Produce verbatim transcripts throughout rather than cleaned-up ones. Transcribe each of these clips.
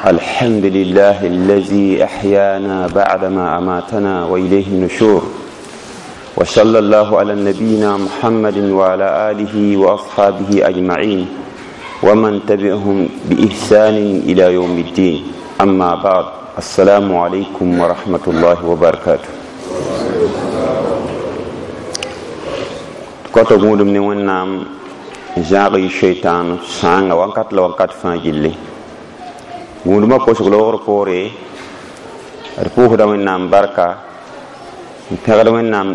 الحمد لله الذي أحيانا بعدما أماتنا وإليه النشور وصلى الله على نبينا محمد وعلى آله وأصحابه أجمعين ومن تبعهم بإحسان إلى يوم الدين أما بعد السلام عليكم ورحمة الله وبركاته koto gũudum ne wẽnnaam zãag y shaitan sãanga wakat la wakat fãa gilli gũudumã kosg loogr poore d pʋʋsda wẽnnaam barka n pẽgd wẽnnaam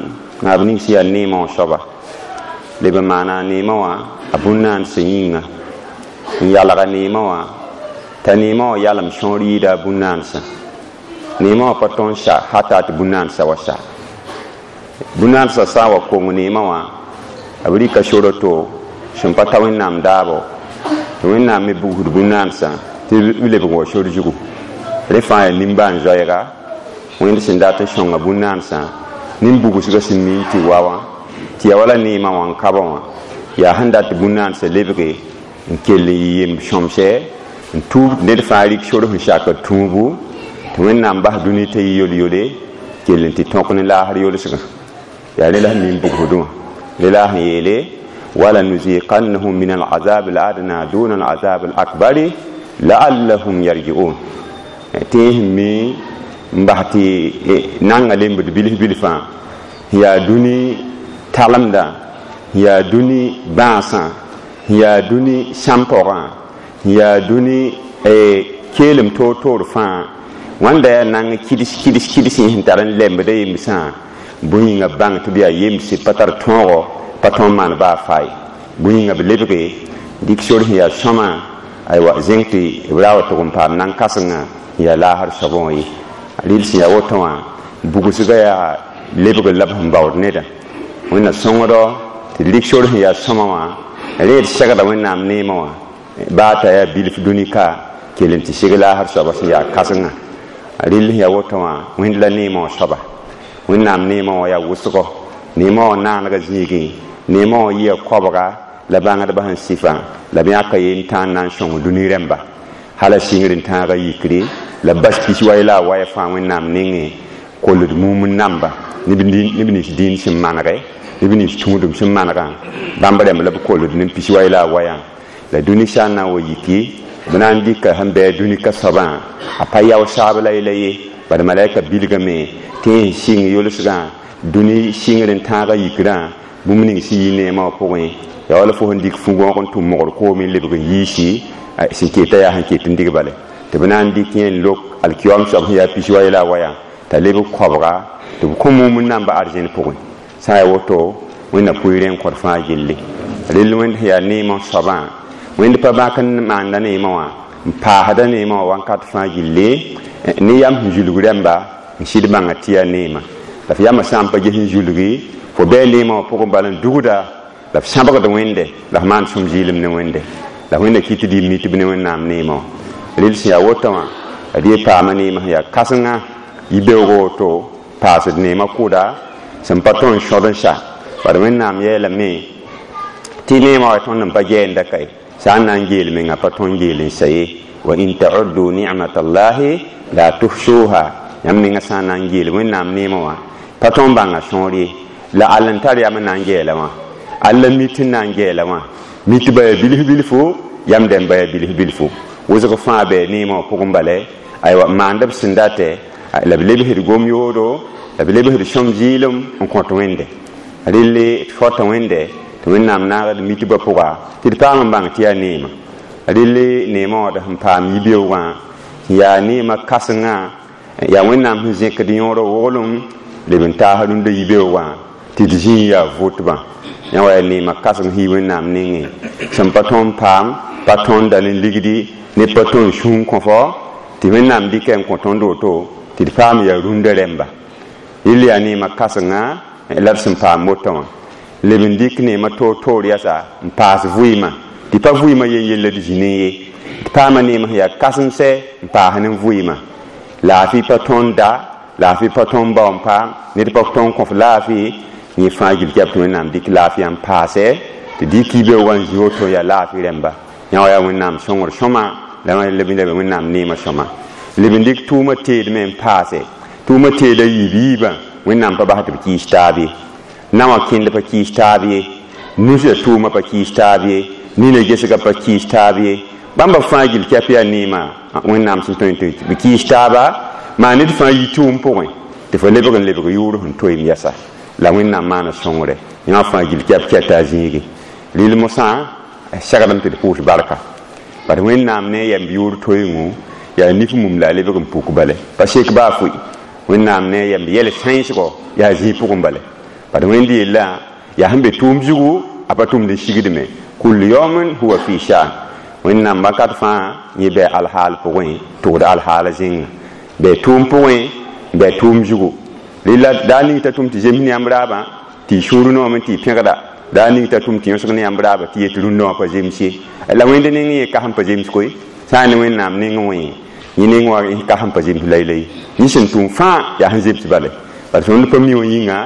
naab nings yaa neemã wã soaba leb n maana a neemã wã a bũn-naansã yĩnga n yalga neemã wã t'a neemã wã yalem sõor yɩɩda a bũn-naansã neemã wã pa tõe n sa hata tɩ bũn-naansã wa sa bũn-naansã sã n wa kong neemã wã b rɩka sor to sẽn pa ta wẽnnaam daabo tɩ wẽnnaam me bugsd bũn-naansã tɩ b lebg wa sor zugu rẽ fãa yaa nimbãan-zoɛɛga wẽnd sẽn dat n sõnga bũn-naansã nin-bugsgã sẽn mi n tɩ wa wã tɩ yaa wala neemã wã n kabã wã yaa sẽn dat tɩ bũn-naansã lebge n kell n yɩ yemb sõmsɛ n tuub ned fãa rɩk sor sẽn sakd tũubu tɩ wẽnnaam bas dũni t'a yɩ yol-yole kell n tɩ tõk ne laasr yolsgã yaa rẽ la sẽn nin-bugsdẽ wã لله يلي ولنذيقنهم من العذاب الأدنى دون العذاب الأكبر لعلهم يرجعون تيهمي مبحتي نانغا لمبد بلف بلفا هي دوني تالمدا هي دوني بانسا هي دوني شامبورا هي دوني كيلم تو تور فا wanda nang kidis kidis kidis hin taran lembe yimsa bũyĩngã bãng tɩ b yaa yemse pa tar tõogo pa tõe n maan baa fae bũyĩngã b lebge dɩk sor sẽn yaa sõma aywa zẽng tɩ b ra wa tʋg n paam nan-kãsengã n yaa laasr soabã wã ye rɩl sẽn yaa woto wã bugsgã yaa lebg la b sẽn baood nedã wẽnna sõngdɔ tɩ d rɩk sor sẽn yaa sõma wã rẽ d segda wẽnnaam neemã wã baa t'a yaa bilf dũni ka kell n tɩ sig laasr soabã sẽn yaa kãsengã rɩl sẽn yaa woto wã wẽnd la neemã wã soaba wẽnnaam neemã wã yaa wʋsgo neemã wã naanega zĩigẽ neemã wã yɩa koabga la bãngdbã sẽn sɩfã la b yãka ye n tãan na n sõng dũni rẽmba hala sɩngr n tãaga yikre la bas pis waya la a waya fãa wẽnnaam nengẽ kolld mum n namba neb nins dĩin sẽn manege neb nins tũudem sẽn manegã bãmb rẽmb la b kolld ne pis waya la a wayã la dũni sã n na n wa yiki b na n dɩka sẽn bɩ a dũni ka soabã a pa yao saab la yela ye bad malaika bilgame tɩ n sɩng yolsgã dũni sɩngr n tãaga yikrã bũmb ning sẽn yi neemã wã pʋgẽ yaa wala fo sẽn dɩk fu-gõog n tʋm mogr koom n lebg n yiisi sẽn keta yaa sẽn ket n dig bale tɩ b na n dɩk yẽ n lok alkiyoam soab sẽn yaa pis wa la a wayã t'a lebg koabga tɩ b kõ mum n namba arzẽn pʋgẽ sã n yaa woto wẽnna pʋɩɩrẽ n kõt fãa gilli rell wẽnd sẽn yaa neemã soabã wẽnd pa bãk n maanda neemã wã n paasda neemã wã wãnkat fãa gilli ne yam sẽn zulg rẽmba n sɩd bãnga tɩ yaa neemã la f yamã sã n pa ges n zulgi fo bɩ neemã wã pʋgẽ bala n dugda la f sãbgd wẽnde la f maan sõm zɩɩlem ne wẽnde la wẽnda kɩ tɩ d mitb ne wẽnnaam neemã wã rel sẽn yaa woto wã ad ye paama neemã sẽn yaa kãsenga yi-beoogo woto paasd neemã kʋʋda sẽn pa tõe n sõd n sa bad wẽnnaam yeelame tɩ neemã wa tõnd n pa gɛɛnda kae sã n na n geel menga pa tõe n geel n sa ye wa in ta'uddu ni'matallahi la tuhsuha yãmb menga sã n na n geel wẽnnaam neemã wã pa tõe n bãnga sõor ye la all n tar yam n na n gɛɛla wã alla mit n na n gɛɛla wã mit ba yaa bilf bilfu yam dẽmb ba yaa bilf bilfu wʋsg fãa bɩ neemã wã pʋgẽ bala aywa maand b sẽn datɛ la b lebsd gom-yoodo la b lebsd sõm zɩɩlem n kõt wẽnde relle d fota wẽnde tɩ wẽnnaam naagd mitbã pʋga tɩ d paam n bãng tɩ yaa neemã relle neemã wã d sẽn paam yi-beoogã yaa neemã kãsengã yaa wẽnnaam sẽn zẽkd yõorã woglem leb n taas rũndã yi-beoogã tɩ d zĩig yaa votbã yã wa yaa neemã kãseng sẽn yi wẽnnaam nengẽ sẽn pa tõe n paam pa tõe n da ne ligdi ne pa tõe n sũn kõ fo tɩ wẽnnaam dɩka n kõ tõnd woto tɩ d paam yaa rũndã rẽmba rel yaa neemã kãsenga la d sẽn paam woto wã leb n dɩk neemã toor-toor yasa n paas vɩɩmã tɩ pa vɩɩmã yen yella d zĩ ne ye d paama neemã sẽn yaa kãsensɛ n paas ne vɩɩmã laafɩ pa tõe n da laafɩ pa tõe n bao n paam ned pa tõe n kõf laafɩ yẽ fãa gil tɩ wẽnnaam dɩk laafɩ n paasɛ tɩ dɩk yibeoogã n zĩ woto yaa laafɩ rẽmba yã wa yaa wẽnnaam sõngr sõma la leb n leb wẽnnaam neemã sõma leb n dɩk tʋʋmã teedme n paase tʋʋmã teeda yiib yiibã wẽnnaam pa bas tɩ b kɩɩs taab ye naowã kẽnd pa kɩɩs taab ye nusã tʋʋmã pa kɩɩs taab ye nina gesgã pa kɩɩs taab ye bãmba fãa gill kɛp yaa neemã wẽnnaam sẽn tõe tɩ b kɩɩs taaba maa ned fãa yi tʋʋm pʋgẽ tɩ fo lebg n lebg yʋʋr sẽn toeem yɛsa la wẽnnaam maana sõngre yã fãa gill kɛp kɛta a zĩige rɩl mosã segdame tɩ d pʋʋs barka bat wẽnnaam ne a yɛmb yʋʋr toeengo yaa nif mum la a lebg n puk bale pa sek baa fʋɩ wẽnnaam ne a yɛmb yɛl sãensgo yaa zĩig pʋgẽ bale bat wẽnd yella yaa sẽn be tʋʋm zugu a pa tʋmd n sigdme kul yawmin huwa fi shan wẽnnaam wakat fãa yẽ bɩ alhaal pʋgẽ tʋgd alhaala zĩnga bɩ tʋʋm pʋgẽ bɩ tʋʋm zugu rɩla daa ning t'a tʋm tɩ zems ne yãmb raabã tɩ y sũur noome tɩ y pẽgda daa ning t'a tʋm tɩ yõsg ne yãmb raabã tɩ yet rũndã wã pa zems ye la wẽnd neng yẽ kas n pa zems koe sã n ne wẽnnaam neng wẽ yẽ neng wã kas n pa zems laylay yẽ sẽn tʋm fãa yaa sẽn zems bale bala tõnd pa mi wã yĩnga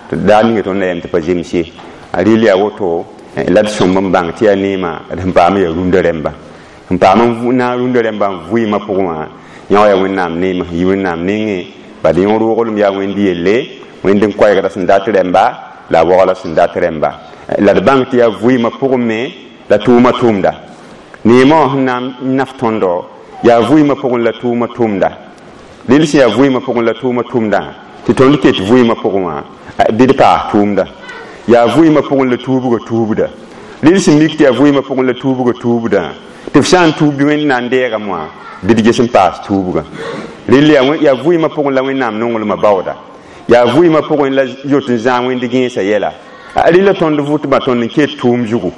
tɩ daa ninga tõnd na yɛm tɩ pa zems ye a rɩl yaa woto la d sõmb n bãng tɩ yaa neemã d sẽn paam yaa rũndã rẽmba sẽn paam n na n rũndã rẽmba n vɩɩmã pʋgẽ wã yã wa yaa wẽnnaam neemã sẽn yi wẽnnaam nengẽ bad yõ roglem yaa wẽnd yelle wẽnd n koɛɛgda sẽn dat rẽmba la a waoola sẽn dat rẽmba la d bãng tɩ yaa vɩɩmã pʋgẽ me la tʋʋmã tʋʋmda neemã wã sẽn na n naf tõndo yaa vɩɩmã pʋgẽ la tʋʋmã tʋʋmda rel sẽn yaa vɩɩmã pʋgẽ la tʋʋmã tʋʋmdã tɩ tõnd ket vɩɩmã pʋgẽ wã bɩ d paas tʋʋmda yaa vɩɩmã pʋgẽ la tuubgã tuubda rel sẽn mik tɩ yaa vɩɩmã pʋgẽ la tuubgã tuubdã tɩ f sã n tuub bɩ wẽnd na n deegame wã bɩ d ges n paas tuubgã rel yaa vɩɩmã pʋgẽ la wẽnnaam nonglmã baooda yaa vɩɩmã pʋgẽ la yot n zãag wẽnd gẽesã yɛla rɩla tõnd vʋtbã tõnd n ket tʋʋm zugu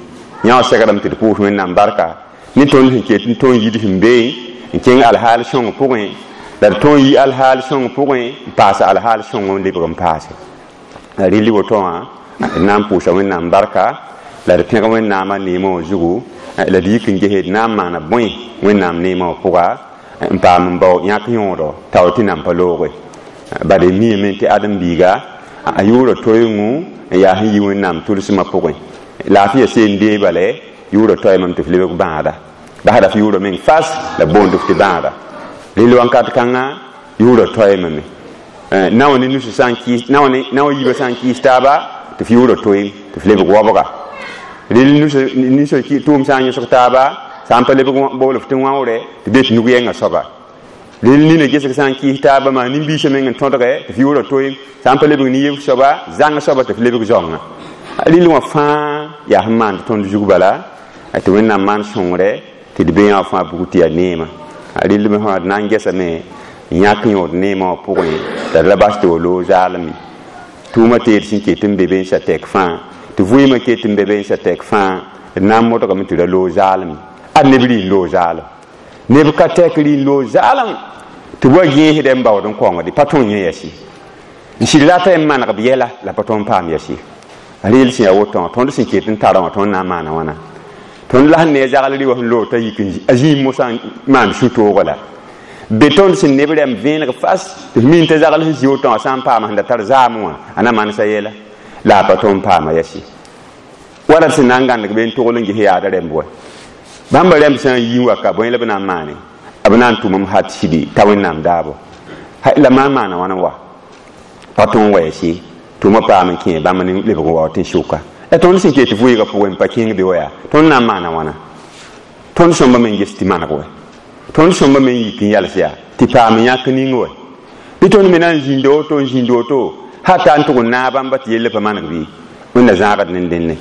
yã wã segrame tɩ d pʋʋs wẽnnaam barka ne tõnd sẽn ket n tõnd yid sẽn bee n kẽng alhaal sõng pʋgẽ la d tõnd yi alhaal sõng pʋgẽ n paas alhaal sõng n lebg n paase la rɩl woto wã d na n pʋʋsa wẽnnaam barka la d pẽg wẽnnaamã neemã wã zugu la d yik n ges d na n maana bõe wẽnnaam neemã wã pʋga n paam n bao yãk yõodo tao tɩ nan pa looge bad d miime tɩ ãdem-biiga a yʋʋra toeengu n yaa sẽn yi wẽnnaam tʋlsmã pʋgẽ laafɩya seen dee bale yʋʋra toeemame tɩ f lebg bãada basda f yʋʋra meng fas la boond f tɩ bãada rel wãnkat kãnga yʋʋra toeemame naoã ne nus sã n kɩɩs naoã yiibã sã n kɩɩs taaba tɩ f yʋʋra toeem tɩ f lebg wabga rel nus tʋʋm sã n yõsg taaba sã n pa lebg bool f tɩ wãoore tɩ be tɩ nug yɛngã soaba rel nina gesg sã n kɩɩs taaba maa nin-biisã meng n tõdge tɩ f yʋʋra toeem sã n pa lebg nin-yebg soaba zãng soaba tɩ f lebg zaongã rel wã fãa yaa sẽn maand tõnd zug bala tɩ wẽnnaam maan sõngre tɩ d be yã wã fãa bug tɩ yaa neemã rel me d na n gesame n yãk yõod neemã wã pʋgẽ la d ra bas tɩ wa loog zaalem tʋʋmã teed sẽn ket n be bensã tɛk fãa tɩ vɩɩmã ket n be bensã tɛk fãa d na n modgame tɩ ra loog zaalem ad neb rɩ n loog zaalem neb ka tɛk rɩ n loog zaalem tɩ b wa gẽesdɛ n baood n kaoongd pa tõe yẽ yɛs ye n sɩd rata n maneg b yɛla la pa tõnd paam yɛs ye reel sẽn yaa woto wã tõnd sẽn ket n tara wã tõnd na n maana wãna tõnd la sẽn ne a zagl rɩ wã sẽn loog t'a yik a zĩig mosã n maan sũ-toogã la be tõnd sẽn neb rɛm vẽeneg fas tɩ f min t'a zagl sẽn zĩ woto wã sã n paama sẽn da tar zaam wã a na mansa yɛla la a pa tõnd paama yɛs ye wala d sẽn na n gãndg be n togl n ges yaada rɛmb wa bãmba rɛmb sã n yi n wa ka bõe la b na n maane b na n tʋmem hat sidi t'a wẽnnaam daabo la maan maana wãna wa pa tõnd wa yɛs ye tʋʋmã paam n kẽ bãmb ne lebg n wa tɩ n sʋka la tõnd sẽn ket vɩɩgã pʋgẽ n pa kẽng be wa yaa tõnd na n maana wãna tõnd sõmba me n ges tɩ maneg wɛ tõnd sõmba me n yik n yals yaa tɩ paam n yãk ning wɛ bɩ tõnd me na n zĩnd woto n zĩnd woto hata n tʋg n naag bãmba tɩ yella pa maneg bɩ wẽnna zãagd ne dẽnne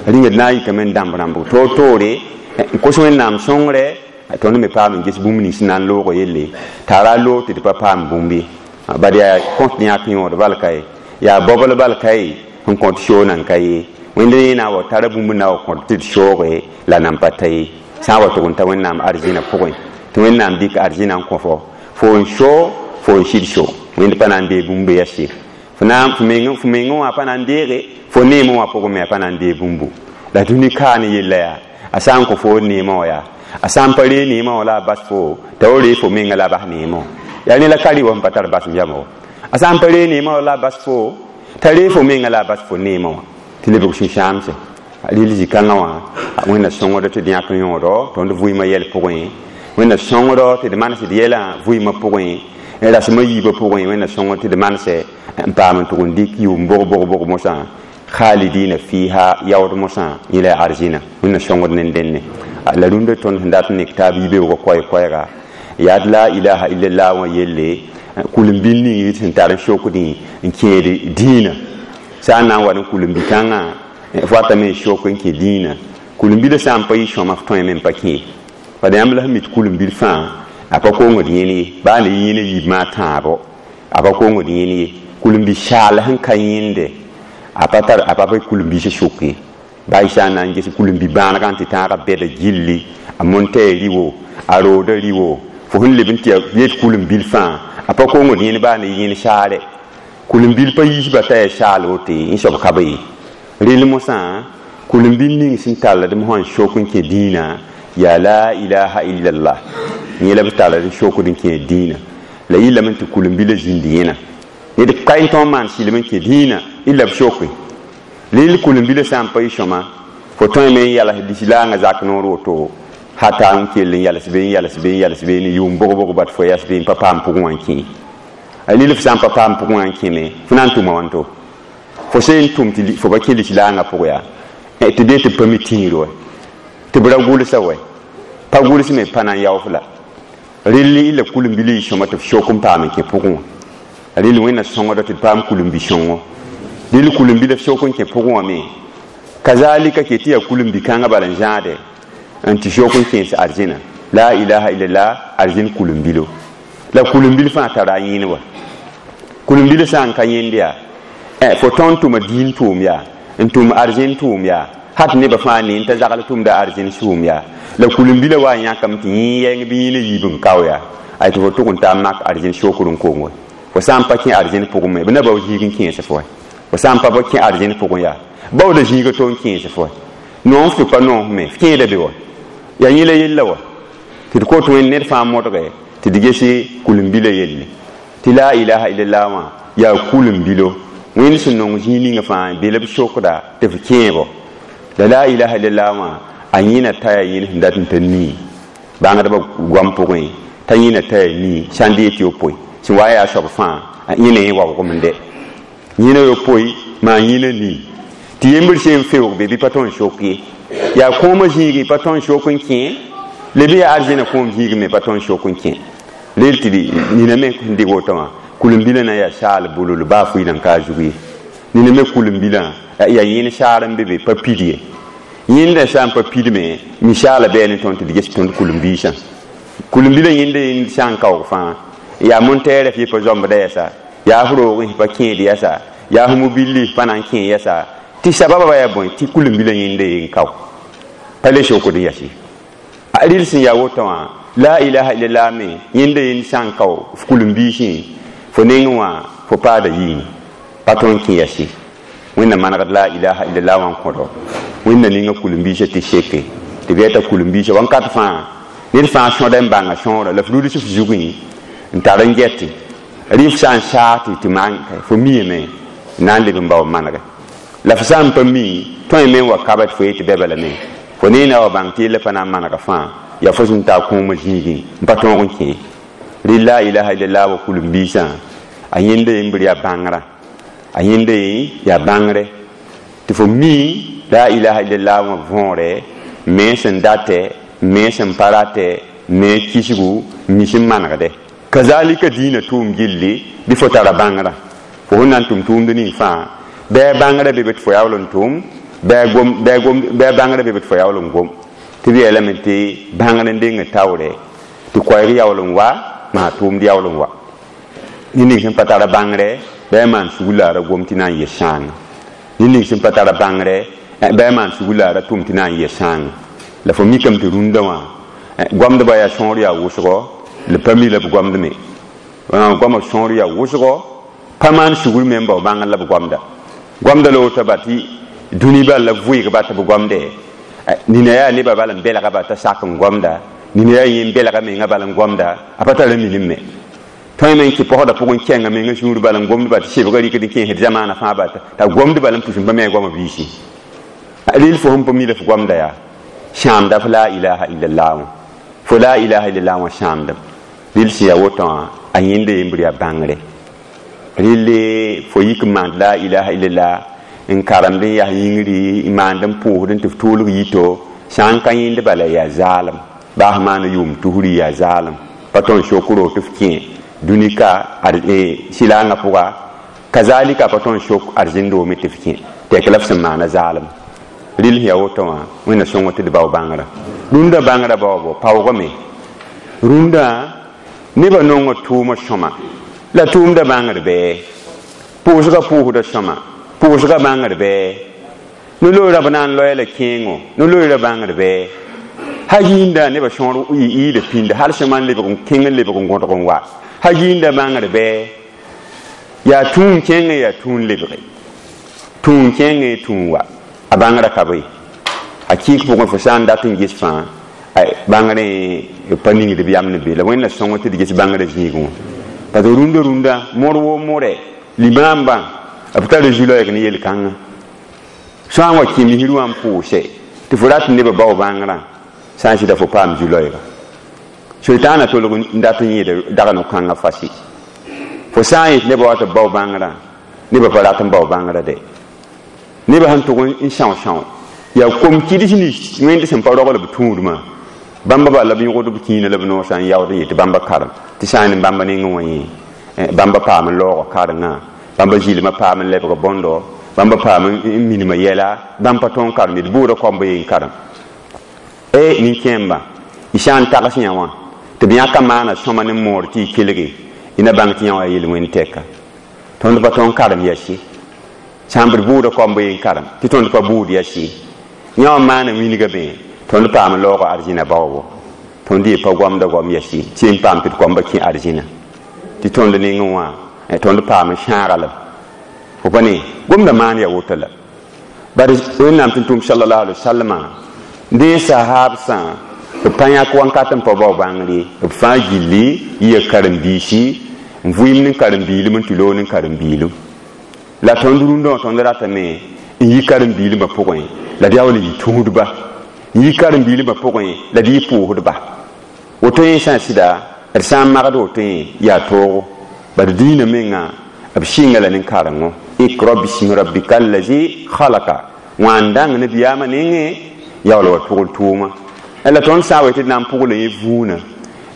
rĩnga d na n yikame n dãmb rãmbg toor-toore n kos wẽnnaam sõngre tõnd me paam n ges bũmb nins sẽn na n loog yelle t'a ra loog tɩ d pa paam bũmb ye bad yaa kõt yãk yõod bal ka ye yaa bobl bal ka ye sẽn kõt shoog nan ka ye wẽnd yẽ na wa tara bũmb na wa kõt tɩ d shooge la nan pa ta ye sã n wa tʋg n ta wẽnnaam arzɩnã pʋgẽ tɩ wẽnnaam dɩk arzɩnã n kõ fo fo n shoog fo n sɩd shoog wẽnd pa na n dee bũmb yɛs ye f na f meng f mengẽ wã pa na n deege fo neemẽ wã pʋgẽ me a pa na n dee bũmbu la dũni kaa ne yella yaa a sã n kõ fo neemã wã yaa a sã n pa ree neemã wã la a bas fo t'a wa ree fo menga la a bas neemã wã yaa ne la ka rɩ wa sẽn pa tar basem yama wa a sã n pa ree neemã wã la a bas fo t'a ree fo menga la a bas fo neemã wã tɩ lebg sũ-sãamse rɩl zĩ-kãngã wã wẽnna sõngd tɩ d yãk yõodo tõnd vɩɩmã yɛl pʋgẽ Wẽnna sõngdo tɩ d manes d yɛlã vɩɩmã pʋgẽ, rasmã yiibã pʋgẽ. Wẽnna sõngd tɩ d manse n paam n tʋg n dɩk yʋʋm bog bog bog mosã khalidina fiha yaood mosã yẽ la arzĩna. Wẽnna sõngd ne dẽnne la rũndã tõnd sẽn dat n nek taab yibeoogã koɛɛ-koɛɛga yaa d la ilaha illallah wã yelle kulim-bil ning sẽn tar n sokdẽ n kẽed dĩinã. Sã n na n wa ne kulim-bi-kãngã f watame n sok n kẽ dĩinã, kulim-bilã sã n pa yɩ sõma f tõeme n pa kẽ. Bad yãmb la sẽn mi tɩ kulim-bil fãa a pa kongd yẽne ye, baa ne yẽne yiibmã tãabo a pa kongd yẽne ye. Kulim-bi-saal sẽn ka yẽnde a pa tar a pa pa kulim-biisã sok ye. Baa y sã n na n ges kulim-bi-bãanegã tɩ tãagã bɛda gilli a montɛɛ rɩwo a rooda rɩwo fo sẽn leb n tɩ yet kulim-bil fãa a pa kongd yẽne baa ne yẽne saare. Kulim-bil pa yiisba t'a yaa saal wote yẽ soab ka be ye. Rel mosã kulim-bil ning sẽn talld m sã n sok n kẽ dĩinã yaa la ilaha illallah, yẽ la b talld n sokd n kẽ dĩinã. La yɩlame tɩ kulim-bilã zĩnd yẽna ned ka n tõog n maan sɩlem n kẽ dĩinã illa b soke. Rel kulim-bilã sã n pa yɩ sõma fo tõeme n yals lislaangã zak noor woto hata n kell n yals be n yals be n yals be ne yʋʋm bog-bog bat fo yas be n pa paam pʋgẽ wã n kẽ. A lil f sã n pa paam pʋgẽ wã n kẽme fo na n tʋma wãnto fo sẽn n tʋm tɩ fo pa kẽ lislaangã pʋgẽ yaa tɩ dee tɩ b pa mi tĩir wɛ tɩ b ra gʋlsa wɛ pa gʋls me pa na n yaof la. Rel illa kulim-bilã yɩ sõma tɩ f sok n paam n kẽ pʋgẽ wã. Rel wẽnna sõngda tɩ d paam kulim-bi-sõngo. Rel kulim-bilã f sok n kẽ pʋgẽ wã me kazalika ke tɩ yaa kulim-bi-kãngã bala n zãade n tɩ sok n kẽes arzẽna la ilaha illallah arzẽn kulim-bilo. La kulim-bil fãa tara a yẽne wa. Kulim-bilã sã n ka yẽnd yaa fo tõnd tʋma dĩin tʋʋm yaa n tʋm arzẽn tʋʋm yaa hat nebã fãa ne n t'a zagl tʋmda arzẽn sʋʋm yaa la kulim-bilã wa n yãkame tɩ yẽ yɛng bɩ yẽna yiib n kao yaa ay tɩ fo tʋg n taa mak arzẽn sokr n kong wa. Fo sã n pa kẽ arzẽn pʋgẽ me b na bao zĩig n kẽes fo wa. Fo sã n pa kẽ arzẽn pʋgẽ yaa baooda zĩiga to n kẽes fo wa. Noom f tɩ pa noos me f kẽeda be wa yaa yẽ la yella wa tɩ d kot wẽnd ned fãa modge tɩ d gese kulim-bilã yelle tɩ la ilaha illallah wã yaa kulim-bilo wẽnd sẽn nong zĩig ninga fãa be la b sokda tɩ f kẽebo. La la ilaha illallah wã a yẽna t'a yaa yẽne sẽn dat n t'a nii bãngdbã goam pʋgẽ t'a yẽna t'a yaa nii sãn dee tɩ yopoe sẽn wa yaa soab fãa yẽna yẽ waoogem n dɛ yẽna yopoe maa yẽna nii tɩ yembr sẽn feoog be bɩ pa tõnd sok ye yaa kõomã zĩigẽ pa tõnd sok n kẽ le bɩ yaa arzẽna kõom zĩigẽ me pa tõnd sok n kẽ. Rel tɩ nina me sẽn dɩg woto wã kulim-bilã na yaa saal bulul baa fʋɩ nan ka a zug ye. Nina me kulim-bilã yaa yẽne saar n be be pa pid ye. Yẽndã sã n pa pidme misaala bɩ ne tõnd tɩ d ges tõnd kulim-biisã. Kulim-bilã yẽnda yẽnd sã n kaoog fãa yaa montɛɛrã f yẽ pa zãmbda yɛsa yaa f roogẽ pa kẽed yɛsa yaa f mobilli pa na n kẽ yɛsa tɩ sababa yaa bõe tɩ kulim-bilã yẽnda yen kao pa le sokd n yɛs. A rɩl sẽn yaa woto wã la ilaha illallah me yẽnda yẽnd sã n kao f kulim-biisẽ fo nengẽ wã fo paada yĩng pa tõnd kẽ yɛs. Wẽnna manegd la ilaha illallah wã n kõdo wẽnna ninga kulim-biisã tɩ seke tɩ b yɛta kulim-biisã wãnkat fãa ned fãa sõda n bãnga sõora la f ruds f zugẽ n tar n gɛte rɩ f sã n saag tɩ tɩ maan fo miame na n leb n bao n manege la f sã n pa mi tõe me n wa kaba tɩ fo yetɩ bɛ balame fo neena wa bãng tɩ yella pa na n manega fãa yaa fo sẽn taa kũumã zĩigẽ n pa tõog n kẽ. Rɩ la ilaha illallah wa kulim-biisã a yẽnda yembr yaa bãngrã a yẽnda yẽ yaa bãngre tɩ fo mi la ilaha illallah wã võore me sẽn datɛ me sẽn pa ratɛ me kisgu mi sẽn manegdɛ. Kazalika dĩinã tʋʋm gilli bɩ fo tara bãngrã fo sẽn na n tʋm tʋʋmd ning fãa bɩ bãngrã be be tɩ fo yaool n tʋm bɩ bãngrã be be tɩ fo yaool n gom tɩ b yeelame tɩ bãngr n deng taoorɛ tɩ koɛɛg yaool n wa maa tʋʋmd yaool n wa. Ned ning sẽn pa tara bãngrɛ bɩ a maan sugr la a ra gom tɩ na n yɩ sãanga. Ned ning sẽn pa tara bãngrɛ bɩ a maan sugr la a ra tʋm tɩ na n yɩ sãanga. La fo mikame tɩ rũndã wã goamdbã yaa sõor yaa wʋsgɔ la pa mi la b goamd me goamã sõor yaa wʋsgɔ pa maan sugr me n bao bãngr la b goamda. Goamda la woto ba tɩ dũni bal la vʋɩgba tɩ b goamdɛ nina yaa nebã bal n belga ba t'a sak n goamda nina yaa yẽ n belga menga bal n goamda a pa tara minim me. Tõe me n kɩ pɔsda pʋgẽ kẽnga menga sũur bal n gomd ba tɩ sebgã rɩkd n kẽesd zamaana fãa ba t'a gomd bal n pus n pa me a goamã biisi. Rɩl fo sẽn pa mi la f goamda yaa sãamda f la ilaha illallah wã. Fo la ilaha illallah wã sãamdem rɩl sẽn yaa woto wã a yẽnda yembr yaa bãngre rɩle fo yik n maand la ilaha illallah n karemd n yaa yĩngri n maand n pʋʋsd n tɩ f tuulg yito sã n ka yẽnd bala yaa zaalem baa f maana yʋʋm tusri yaa zaalem pa tõnd sok roog tɩ f kẽ dũnika sɩlaangã pʋga kazalika pa tõnd sok arzẽn-doome tɩ f kẽ tɛk la f sẽn maana zaalem rɩl sẽn yaa woto wã wẽnna sõng tɩ d bao bãngrã rũndã bãngrã baoobo paoogame rũndã nebã nonga tʋʋmã sõma la tʋʋmda bãngr bɩ pʋʋsga pʋʋsda sõma pʋʋsga bãngr bɩ no-loeerã b na n loɛɛ la kẽengo no-loeerã bãngr bɩ ha yĩnda nebã sõor yɩɩda pĩnda hal sõma n lebg n kẽng n lebg n gõdg n wa ha yĩnda bãngr bɩ yaa tũun kẽngẽ yaa tũun lebge tũun kẽngẽ tũun wa a bãngrã ka be a kɩɩk pʋgẽ fo sã n dat n ges fãa bãngrẽ pa ningd b yam ne be la wẽnna sõng tɩ d ges bãngrã zĩigẽ wã parce que rũndã rũndã mõr woo mõrɛ limaambã b tara zu-loɛɛg ne yel-kãngã sã n wa kẽ misr wã n pʋʋse tɩ fo rat nebã bao bãngrã sã n sɩda fo paam zu-loɛɛga soitaana tolg n dat n yẽed dagn kãngã fasi fo sã n yet nebã wa tɩ b bao bãngrã nebã pa rat n bao bãngrã de nebã sẽn tʋg n são-são yaa kom kɩds nins wẽnd sẽn pa rogl b tũudmã bãmba bala b yõgd b kĩinã la b noosã n yaood n yet bãmba karem tɩ sã n ne bãmba nengẽ wã yẽ bãmba paam n laoog karengã bãmba zɩlmã paam n lebg bõndo bãmba paam n minimã yɛla bãmb pa tõog karem d bʋʋda koamba yen karem e nin-kẽembã y sã n tags yã wã tɩ b yãka maana sõma ne moor tɩ y kelge y na bãng tɩ yã wã yel-wẽnd tɛka tõnd pa tõog karem yɛsi sã n b d bʋʋda koamba yen karem tɩ tõnd pa bʋʋd yɛsi yã wã maana wilga bẽ tõnd paam n laoog arzĩna baoobo tõnd ye pa goamda goam yɛsi tɩ n paam tɩ d koamba kẽ arzĩna tɩ tõnd nengẽ wã tõnd paam n sãagalem fo pa ne gomda maan ya woto la bari wẽnnaam tɩ tʋm sallallahu alaihi wasallama dẽ sahabsã b pa yãk wãnkat n pa bao bãngre b fãa gilli yɩ karen-biisi n vʋɩɩm ne karen-biilem n tɩ loog ne karen-biilem la tõnd rũndã wã tõnd ratame n yi karen-biilmã pʋgẽ la d yaool n yɩ tũudba n yi karen-biilmã pʋgẽ la d yɩ pʋʋsdba woto yẽ sã n sɩda d sã n magd woto yẽ yaa toogo bad diinã menga b sɩnga la nin-karengo ikra bismi rabbika allazi khalaka wã n dãng nabiyaamã nengẽ yaool wa tʋgl tʋʋma la tõnd sã n wa tɩ d na n pʋgl yẽ vũunã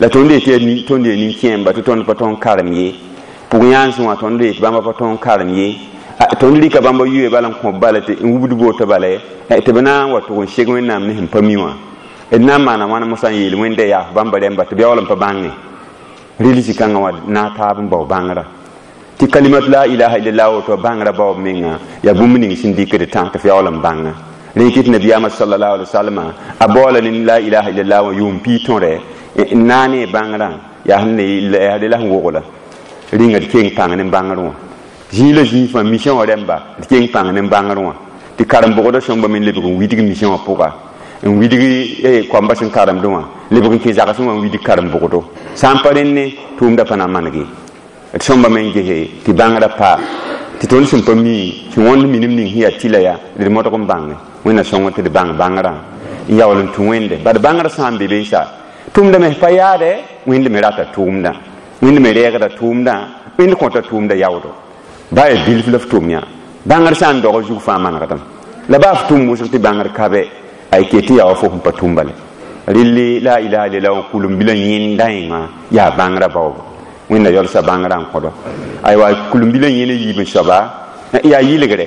la tõnd yetɩ tõnd yaa nin-kẽemba tɩ tõnd pa tõnd karem ye pʋg-yãans wã tõnd yetɩ bãmba pa tõnd karem ye tõnd rɩka bãmba yʋɛ bala n kõb bala tɩ n wubd boto bala tɩ b na n wa tʋg n seg wẽnnaam ne sẽn pa mi wã d na n maana wãna mosã n yeel wẽnda yaaf bãmba rẽmba tɩ b yaool n pa bãnge rɩl zĩ-kãngã wã na taab n bao bãngrã tɩ kalimat la ilaha illallah woto bãngrã baoob menga yaa bũmb ning sẽn dɩkd tãag tɩ f yaool n bãnga rẽ kɩt nabiyaamã sallallahu alaihi wasallam a baoola ne la ilaha illallah wã yʋʋm pii tõre n na ne bãngrã yaa sẽn ne la sẽn wogla rĩnga d keng pãng ne bãngr wã zĩig la zĩig fãa mission wã rẽmba d keng pãng ne bãngr wã tɩ karen-bʋgdã sõmba me lebg n widg mission wã pʋga n widg koamba sẽn karemdẽ wã lebg n kẽ zagsẽ wã n widg karen-bʋgdo sã n pa rẽnne tʋʋmda pa na n manege d sõmba me n gese tɩ bãngrã pa tɩ tõnd sẽn pa mi sẽn wõnd minim ning sẽn yaa tɩla yaa d modg n bãnge wẽnna sõng tɩ d bãng bãngrã n yaool n tũ wẽnde bad bãngrã sã n be be sa tʋʋmda me pa yaade wẽnd me rata tʋʋmdã wẽnd me reegda tʋʋmdã wẽnd kõta tʋʋmda yaoodo baa yaa bilf la f tʋm yã bãngr sã n dog zug fãa manegdame la baa f tʋm wʋsg tɩ bãngr ka bɛ ay ke tɩ yaa wa fo sẽn pa tʋm bale rɩlli la ilaha illallah wã kulem-bilã yẽnda yẽŋa yaa bãngrã baoobo wẽnna yalsa bãngrã n kõdo aywa kulem-bilã yẽna yiib n soaba yaa yɩlgre